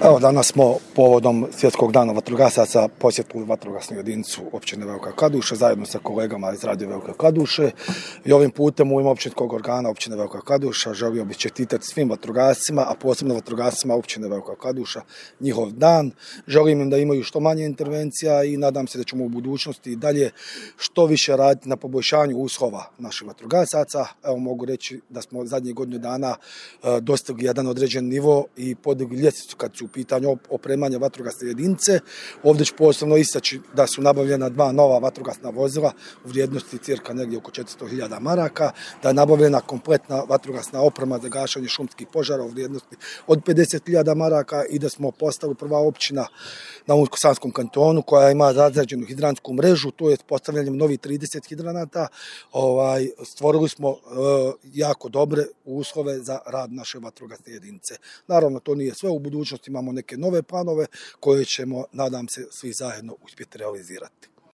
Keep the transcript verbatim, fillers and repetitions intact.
Evo, danas smo povodom Svjetskog dana vatrogasaca posjetili vatrogasnu jedinicu općine Velika Kladuša zajedno sa kolegama iz Radio Velike Kladuše i ovim putem u ime općinskog organa općine Velika Kladuša želio bih čestitati svim vatrogascima, a posebno vatrogascima općine Velika Kladuša njihov dan. Želim im da imaju što manje intervencija i nadam se da ćemo u budućnosti i dalje što više raditi na poboljšanju uslova naših vatrogasaca. Evo, mogu reći da smo zadnjih godinu dana e, dostigli jedan određen nivo i podigli ljestvicu kad su u pitanju opremanja vatrogasne jedinice. Ovdje ću posebno istaći da su nabavljena dva nova vatrogasna vozila u vrijednosti cirka negdje oko četiristo hiljada maraka, da je nabavljena kompletna vatrogasna oprema za gašenje šumskih požara u vrijednosti od pedeset hiljada maraka i da smo postali prva općina na Unsko-Sanskom kantonu koja ima razrađenu hidrantsku mrežu, to je postavljanjem novih trideset hidranata. Ovaj, stvorili smo e, jako dobre uslove za rad naše vatrogasne jedinice. Naravno, to nije sve, u budućnosti imamo neke nove planove koje ćemo, nadam se, svi zajedno uspjeti realizirati.